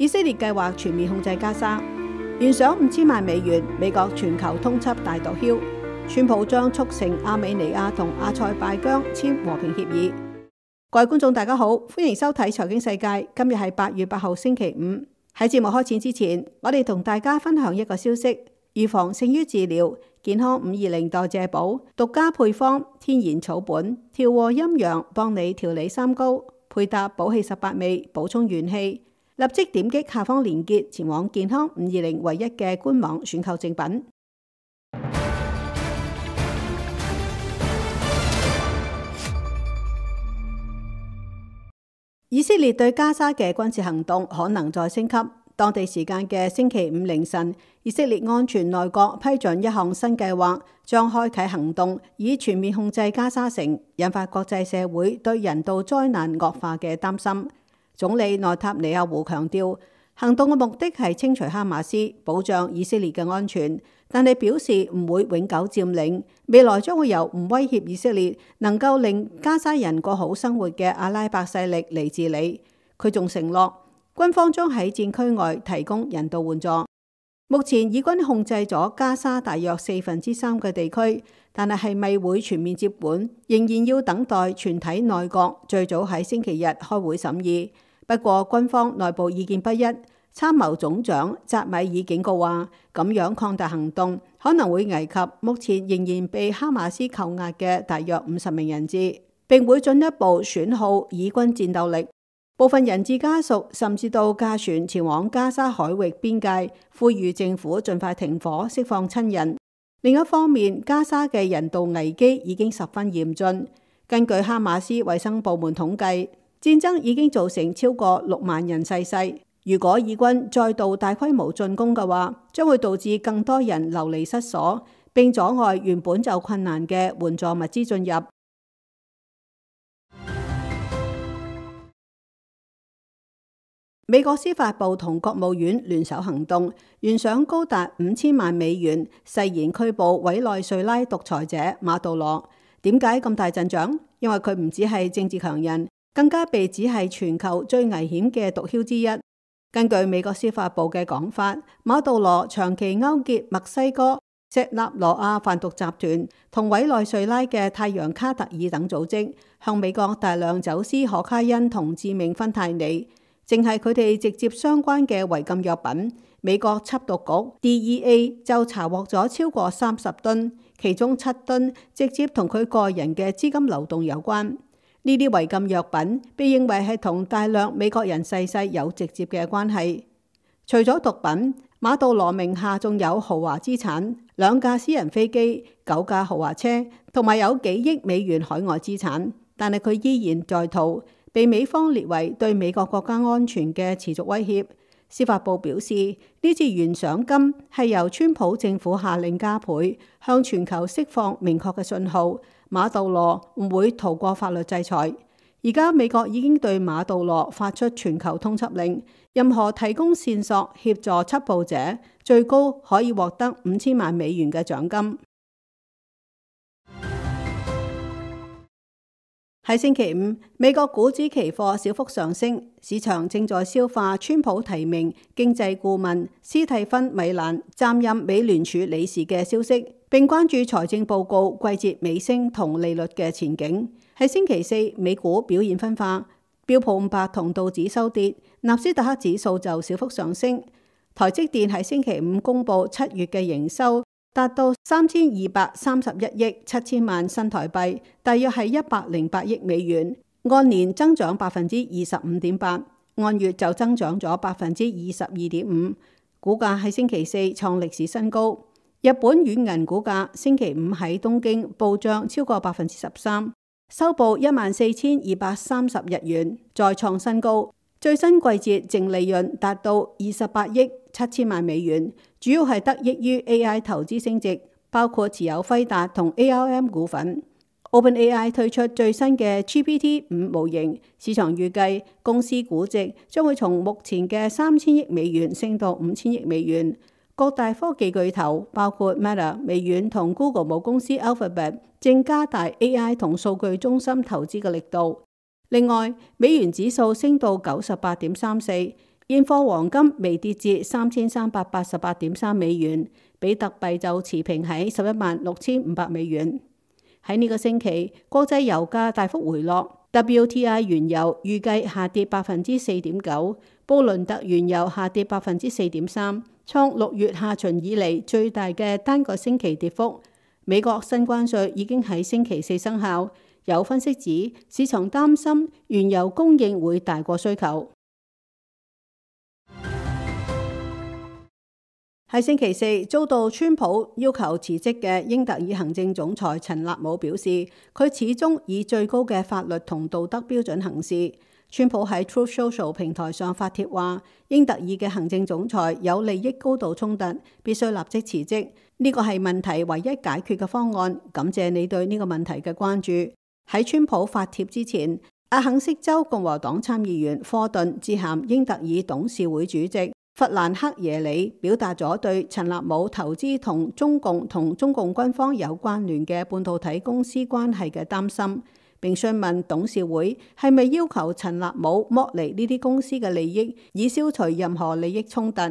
以色列計劃全面控制加沙，懸賞5000萬美元，美國全球通緝大毒梟。川普將促成亞美尼亞同阿塞拜疆簽和平協議。各位觀眾大家好，歡迎收睇財經世界。今日係8月8號星期五。喺節目開始之前，我哋同大家分享一個消息：預防勝於治療，健康520代謝寶獨家配方，天然草本，調和陰陽，幫你調理三高，配搭補氣18味，補充元氣。立即點擊下方連結，前往健康520唯一嘅官網選購正品。以色列對加沙嘅軍事行動可能再升級。當地時間嘅星期五凌晨，以色列安全內閣批准一項新計劃，將開啟行動，以全面控制加沙城，引發國際社會對人道災難惡化嘅擔心。總理內塔尼亞胡強調，行動嘅目的係清除哈馬斯，保障以色列嘅安全，但係表示唔會永久佔領，未來將會由唔威脅以色列、能夠令加沙人過好生活嘅阿拉伯勢力嚟治理。佢仲承諾，軍方將喺戰區外提供人道援助。目前以軍控制咗加沙大約3/4嘅地區，但係咪會全面接管，仍然要等待全體內閣最早喺星期日開會審議。不過軍方內部意見不一，參謀總長扎米爾警告話，咁樣擴大行動可能會危及目前仍然被哈馬斯扣押嘅大約50名人質，並會進一步損耗以軍戰鬥力。部分人質家屬甚至到駕船前往加沙海域邊界，呼籲政府盡快停火，釋放親人。另一方面，加沙嘅人道危機已經十分嚴峻。根據哈馬斯衛生部門統計，戰爭已經造成超過6萬人逝世。如果以軍再度大規模進攻嘅話，將會導致更多人流離失所，並阻礙原本就困難嘅援助物資進入。美國司法部同國務院聯手行動，懸賞高達5000萬美元，誓言拘捕委內瑞拉獨裁者馬杜羅。點解咁大陣仗？因為佢唔只係政治強人，更加被指係全球最危險嘅毒梟之一。根據美國司法部嘅講法，馬杜羅長期勾結墨西哥錫納羅亞販毒集團同委內瑞拉嘅太陽卡特爾等組織，向美國大量走私可卡因同致命芬太尼。淨係佢哋直接相關嘅違禁藥品，美國緝毒局 DEA 就查獲咗超過30噸，其中7噸直接同佢個人嘅資金流動有關。呢啲違禁藥品被認為係同大量美國人逝世有直接嘅關係。除咗毒品，馬杜羅名下仲有豪華資產，2架私人飛機、9架豪華車，同埋有幾億美元海外資產。但係佢依然在逃，被美方列為對美國國家安全嘅持續威脅。司法部表示，呢次懸賞金係由川普政府下令加倍，向全球釋放明確嘅信號，馬杜羅唔會逃過法律制裁。而家美國已經對馬杜羅發出全球通緝令，任何提供線索協助緝捕者，最高可以獲得5000萬美元嘅獎金。喺星期五，美國股指期貨小幅上升，市場正在消化川普提名經濟顧問斯蒂芬米蘭擔任美聯儲理事嘅消息，並關注財政報告季節尾聲同利率嘅前景。喺星期四，美股表現分化，標普500同道指收跌，納斯達克指數就小幅上升。台積電喺星期五公布7月嘅營收，達到3231億7000萬新台幣，大約係108億美元，按年增長25.8%，按月就增長咗22.5%。股價喺星期四創歷史新高。日本軟銀股價星期五喺東京暴漲超過13%，收報14,230日元，再創新高。最新季節淨利潤達到28億7000萬美元，主要係得益於 AI 投資升值，包括持有輝達同 ARM 股份。OpenAI 推出最新嘅 GPT-5 模型，市場預計公司估值將會從目前嘅3000億美元升到5000億美元。各大科技巨頭包括 Meta、微軟同 Google 母公司 Alphabet 正加大 AI 同數據中心投資嘅力度。另外，美元指數升到98.34，現貨黃金微跌至3388.3美元，比特幣就持平喺116500美元。喺呢個星期，國際油價大幅回落。WTI 原油預計下跌4.9%，布倫特原油下跌4.3%，創6月下旬以嚟最大嘅單個星期跌幅。美國新關稅已經喺星期四生效，有分析指市場擔心原油供應會大過需求。喺星期四遭到川普要求辭職嘅英特爾行政總裁陳納姆表示，佢始終以最高嘅法律同道德標準行事。川普喺 Truth Social 平台上發帖話，英特爾嘅行政總裁有利益高度衝突，必須立即辭職。呢個係問題唯一解決嘅方案。感謝你對呢個問題嘅關注。喺川普發帖之前，阿肯色州共和黨參議員科頓致函英特爾董事會主席弗蘭克耶里，表達咗對陳納姆投資同中共軍方有關聯嘅半導體公司關係嘅擔心，並詢問董事會係咪要求陳納姆剝離呢啲公司嘅利益，以消除任何利益衝突。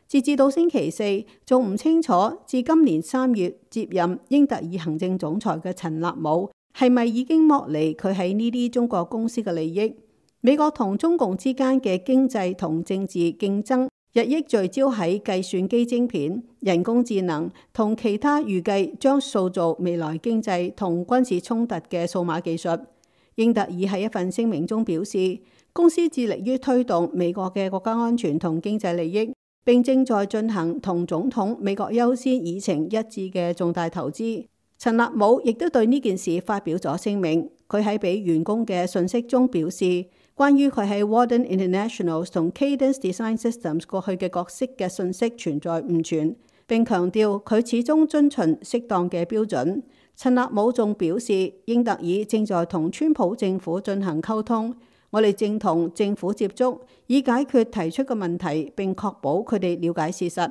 截至到星期四，仲唔清楚自今年3月接任英特爾行政總裁嘅陳納姆係咪已經剝離佢喺呢啲中國公司嘅利益。美國同中共之間嘅經濟同政治競爭日益聚焦喺計算機晶片、人工智能同其他預計將塑造未來經濟同軍事衝突嘅數碼技術。英特爾喺一份聲明中表示，公司致力於推動美國嘅國家安全同經濟利益，並正在進行同總統美國優先議程一致嘅重大投資。陳納姆亦都對呢件事發表咗聲明。佢喺俾員工嘅信息中表示，關於佢喺 Walden International 同 Cadence Design Systems 過去嘅角色嘅信息存在誤傳，並強調佢始終遵循適當嘅標準。陳納姆仲表示，英特爾正在同川普政府進行溝通，我哋正同政府接觸，以解決提出嘅問題，並確保佢哋了解事實。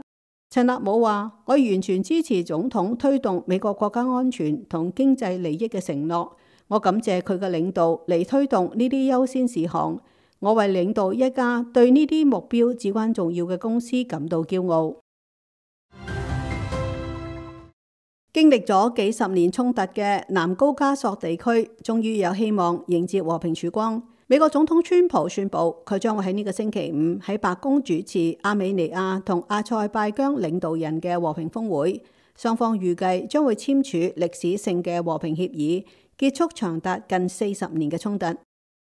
陳納姆話：我完全支持總統推動美國國家安全同經濟利益嘅承諾。我感謝佢嘅領導嚟推動呢啲優先事項。我為領導一家對呢啲目標至關重要嘅公司感到驕傲。經歷咗幾十年衝突嘅南高加索地區，終於有希望迎接和平曙光。美國總統川普宣布，佢將會喺呢個星期五喺白宮主持阿美尼亞同阿塞拜疆領導人嘅和平峰會，雙方預計將會簽署歷史性嘅和平協議，結束長達近40年嘅衝突。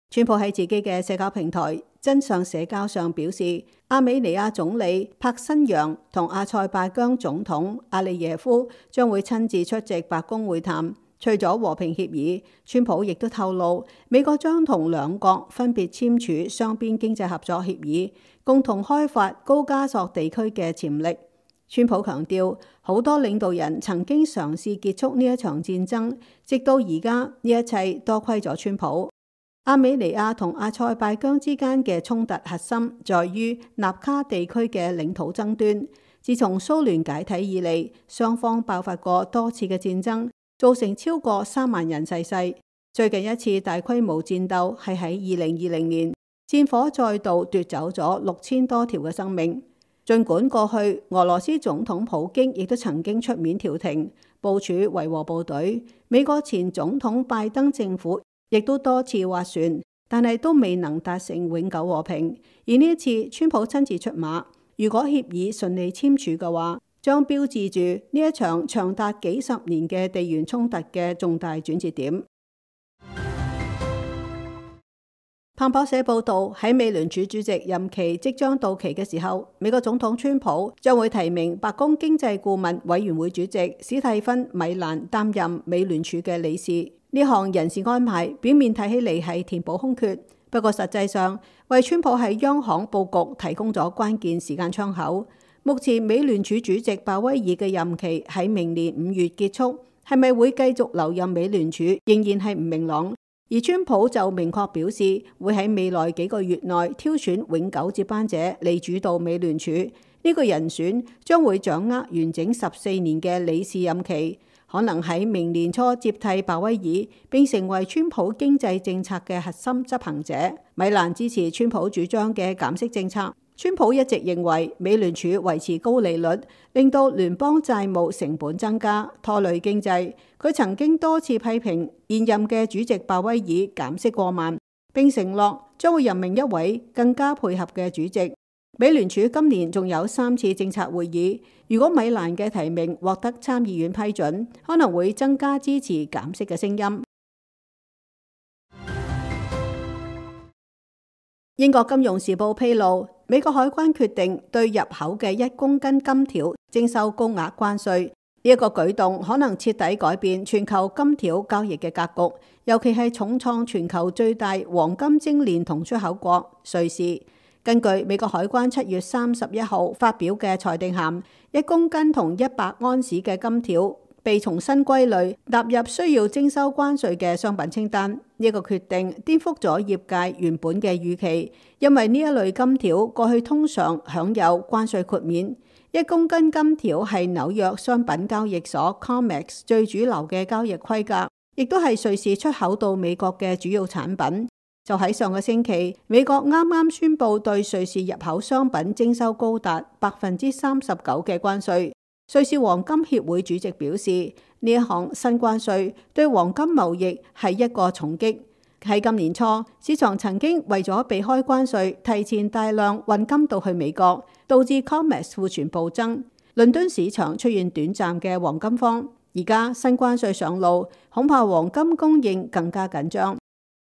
川普喺自己嘅社交平台真相社交上表示，阿美尼亞總理帕辛揚同阿塞拜疆總統阿利耶夫將會親自出席白宮會談。除咗和平協議，川普亦都透露，美國將同兩國分別簽署雙邊經濟合作協議，共同開發高加索地區嘅潛力。川普強調，好多領導人曾經嘗試結束呢一場戰爭，直到而家呢一切多虧咗川普。阿美尼亞同阿塞拜疆之間嘅衝突核心在於納卡地區嘅領土爭端。自從蘇聯解體以嚟，雙方爆發過多次嘅戰爭，造成超過3萬人逝世。最近一次大規模戰鬥係喺2020年，戰火再度奪走咗6000多條嘅生命。儘管過去俄羅斯總統普京亦都曾經出面調停、部署維和部隊，美國前總統拜登政府亦都多次斡旋，但係都未能達成永久和平。而呢一次，川普親自出馬，如果協議順利簽署嘅話，將標誌住呢一場長達幾十年嘅地緣衝突嘅重大轉折點。彭博社報道，喺美聯儲主席任期即將到期嘅時候，美國總統川普將會提名白宮經濟顧問委員會主席史蒂芬·米蘭擔任美聯儲嘅理事。呢項人事安排表面睇起嚟係填補空缺，不過實際上為川普喺央行佈局提供咗關鍵時間窗口。目前美聯儲主席鮑威爾嘅任期喺明年5月結束，係咪會繼續留任美聯儲仍然係唔明朗。而川普就明確表示會喺未來幾個月內挑選永久接班者嚟主導美聯儲。呢個人選將會掌握完整14年嘅理事任期，可能喺明年初接替鮑威爾，並成為川普經濟政策嘅核心執行者。米蘭支持川普主張嘅減息政策，川普一直認為美聯儲維持高利率，令到聯邦債務成本增加，拖累經濟。佢曾經多次批評現任嘅主席鮑威爾減息過慢，並承諾將會任命一位更加配合嘅主席。美聯儲今年仲有3次政策會議，如果米蘭嘅提名獲得參議院批准，可能會增加支持減息嘅聲音。英國金融時報披露，美國海關決定對入口嘅1公斤金條徵收高額關稅。呢一個舉動可能徹底改變全球金條交易嘅格局，尤其係重創全球最大黃金精煉同出口國瑞士。根據美國海關7月31號發表嘅裁定函，1公斤同100安士嘅金條被重新歸類納入需要徵收關稅嘅商品清單。呢個決定顛覆咗業界原本嘅預期，因為呢一類金條過去通常享有關稅豁免。1公斤金條係紐約商品交易所 COMEX 最主流嘅交易規格，亦都係瑞士出口到美國嘅主要產品。就喺上個星期，美國啱啱宣布對瑞士入口商品徵收高達39%嘅關稅。瑞士黃金協會主席表示，呢一項新關稅對黃金貿易係一個重擊。喺今年初，市場曾經為咗避開關稅，提前大量運金到去美國，導致 COMEX 庫存暴增。倫敦市場出現短暫嘅黃金荒。而家新關稅上路，恐怕黃金供應更加緊張。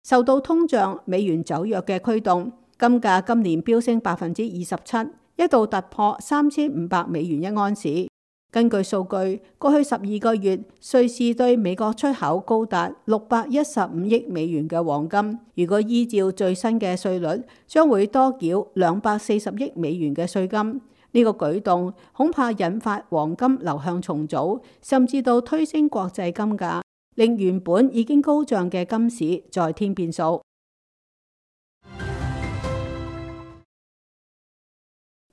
受到通脹、美元走弱嘅驅動，金價今年飆升27%，一度突破3500美元一安士。根據數據，過去12個月，瑞士對美國出口高達615億美元嘅黃金。如果依照最新嘅稅率，將會多繳240億美元嘅稅金。呢個舉動恐怕引發黃金流向重組，甚至到推升國際金價，令原本已經高漲嘅金市再添變數。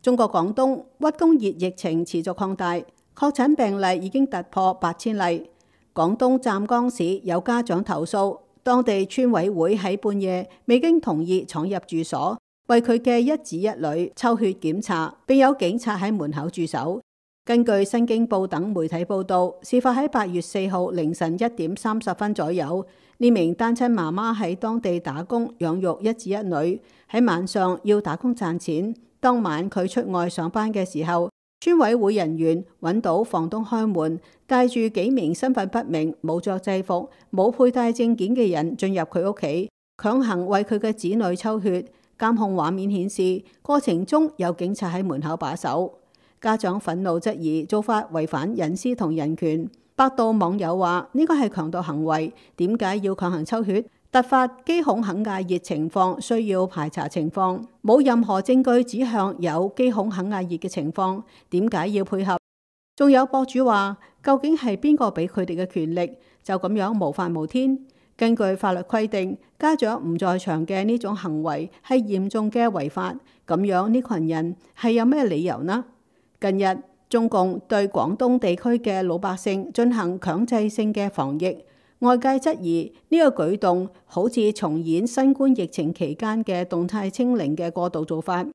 中國廣東屈公熱疫情持續擴大，確診病例已經突破8000例。廣東湛江市有家長投訴，當地村委會喺半夜未經同意闖入住所，為佢嘅一子一女抽血檢查，並有警察喺門口駐守。根據新京報等媒體報道，事發喺8月4號凌晨1點30分左右。呢名單親媽媽喺當地打工養育一子一女，喺晚上要打工賺錢。當晚佢出外上班嘅時候，村委會人員揾到房東開門，帶住幾名身份不明、冇着制服、冇佩戴證件嘅人進入佢屋企，強行為佢嘅子女抽血。監控畫面顯示，過程中有警察喺門口把守。家長憤怒質疑做法違反隱私同人權。百度網友話：呢個係強盜行為，點解要強行抽血？突發肌孔肯亞熱情況需要排查情況，冇任何證據指向有肌孔肯亞熱嘅情況，點解要配合？仲有博主話：究竟係邊個俾佢哋嘅權力，就咁樣無法無天？根據法律規定，家長唔在場嘅呢種行為係嚴重嘅違法，咁樣呢群人係有咩理由呢？近日中共對廣東地區嘅老百姓進行強制性嘅防疫。外界質疑呢個舉動好似重演新冠疫情期間嘅動態清零嘅過度做法。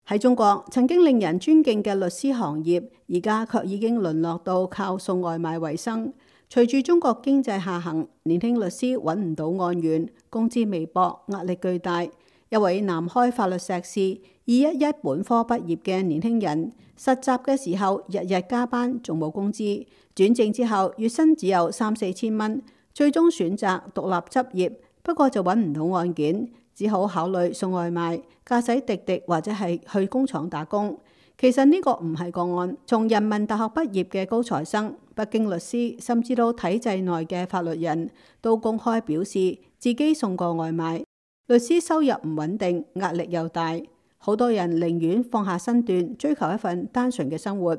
喺中國曾經令人尊敬嘅律師行業，而家卻已經淪落到靠送外賣為生。隨住中國經濟下行，年輕律師揾唔到案源，工資微薄，壓力巨大。一位南開法律碩士211本科畢業嘅年輕人，實習嘅時候日日加班，仲冇工資。轉正之後月薪只有3-4千蚊，最終選擇獨立執業，不過就揾唔到案件，只好考慮送外賣、駕駛滴滴或者係去工廠打工。其實呢個唔係個案，從人民大學畢業嘅高材生、北京律師，甚至到體制內嘅法律人都公開表示自己送過外賣。律師收入唔穩定，壓力又大，好多人寧願放下身段，追求一份單純嘅生活。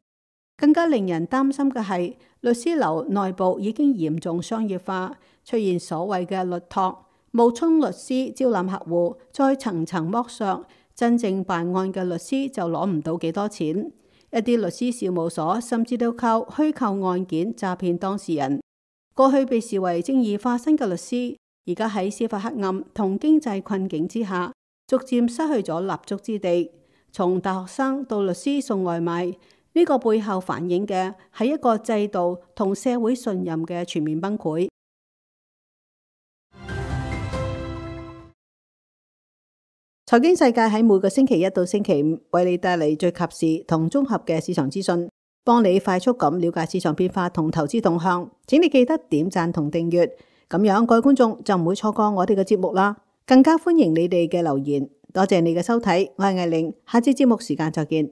更加令人擔心嘅係，律師樓內部已經嚴重商業化，出現所謂嘅律託，冒充律師招攬客戶，再層層剝削，真正辦案嘅律師就攞唔到幾多錢。一啲律師事務所甚至都靠虛構案件詐騙當事人。過去被視為正義化身嘅律師，而家喺司法黑暗同經濟困境之下，逐漸失去咗立足之地。從大學生到律師送外賣，呢個背後反映嘅係一個制度同社會信任嘅全面崩潰。財經世界喺每個星期一到星期五為你帶嚟最及時同綜合嘅市場資訊，幫你快速咁了解市場變化同投資動向。請你記得點讚同訂閱，咁樣各位觀眾就唔會錯過我哋嘅節目啦。更加歡迎你哋嘅留言。多謝你嘅收睇，我係艾玲，下次節目時間再見。